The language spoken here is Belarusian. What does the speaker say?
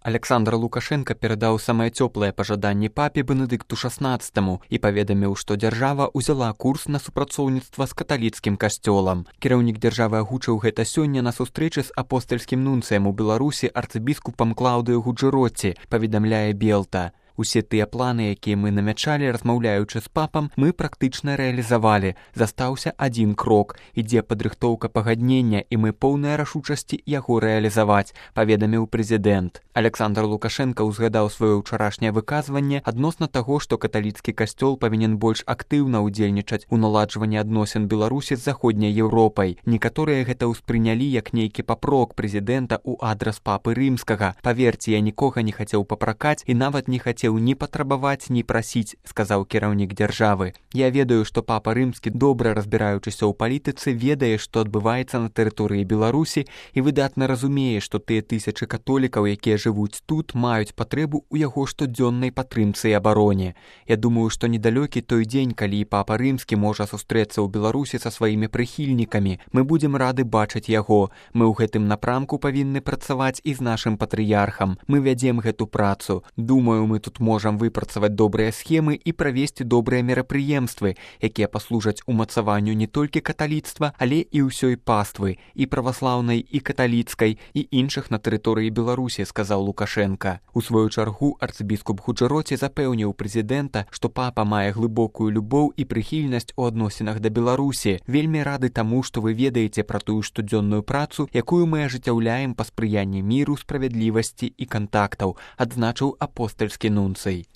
Александр Лукашенко перадаў самыя цёплыя пажаданні папе Бенедыкту XVI і паведаміў, што дзяржава ўзяла курс на супрацоўніцтва з каталіцкім касцёлам. Кіраўнік дзяржавы агучыў гэта сёння на сустрэчы з апостальскім нунцыем у Беларусі арцыбіскупам Клаўдыёй Гуджэротці, паведамляе Белта. Усе тыя планы, якія мы намячалі, размаўляючы з папам, мы практычна рэалізавалі. Застаўся адзін крок. Ідзе падрыхтоўка пагаднення, і мы поўныя рашучасці яго рэалізаваць, паведаміў прэзідэнт. Александр Лукашенко ўзгадаў сваё ўчарашняе выказванне адносна таго, што каталіцкі касцёл павінен больш актыўна ўдзельнічаць у наладжванні адносін Беларусі з заходняй Еўропай. Некаторыя гэта ўспрынялі як нейкі папрок прэзідэнта ў адрас папы рымскага. Паверце, я нікога не хацеў папракаць і нават не хацеў ні патрабаваць, ні прасіць, сказаў кіраўнік дзяржавы. Я ведаю, што папа рымскі, добра разбіраючыся ў палітыцы, ведае, што адбываецца на тэрыторыі Беларусі і выдатна разумее, што тыя тысячы католікаў, якія жывуць тут, маюць патрэбу ў яго штодзённай падтрымцы і абароне. Я думаю, што недалёкі той дзень, калі папа рымскі можа сустрэцца ў Беларусі са сваімі прыхільнікамі. Мы будзем рады бачыць яго. Мы ў гэтым напрамку павінны працаваць і з нашым патрыярхам. Мы вядзем гэту працу. Думаю, мы тут можам выпрацаваць добрыя схемы і правесці добрыя мерапрыемствы, якія паслужаць умацаванню не толькі каталіцтва, але і ўсёй паствы, і праваслаўнай, і каталіцкай, і іншых на тэрыторыі Беларусі, сказаў Лукашенка. У сваю чаргу арцыбіскуп Гуджэротці запэўніў прэзідэнта, што папа мае глыбокую любоў і прыхільнасць у адносінах да Беларусі. Вельмі рады таму, што вы ведаеце пра тую штодзённую працу, якую мы ажыццяўляем па спрыянні міру, справядлівасці і кантактаў, адзначыў апостальскі нунцый.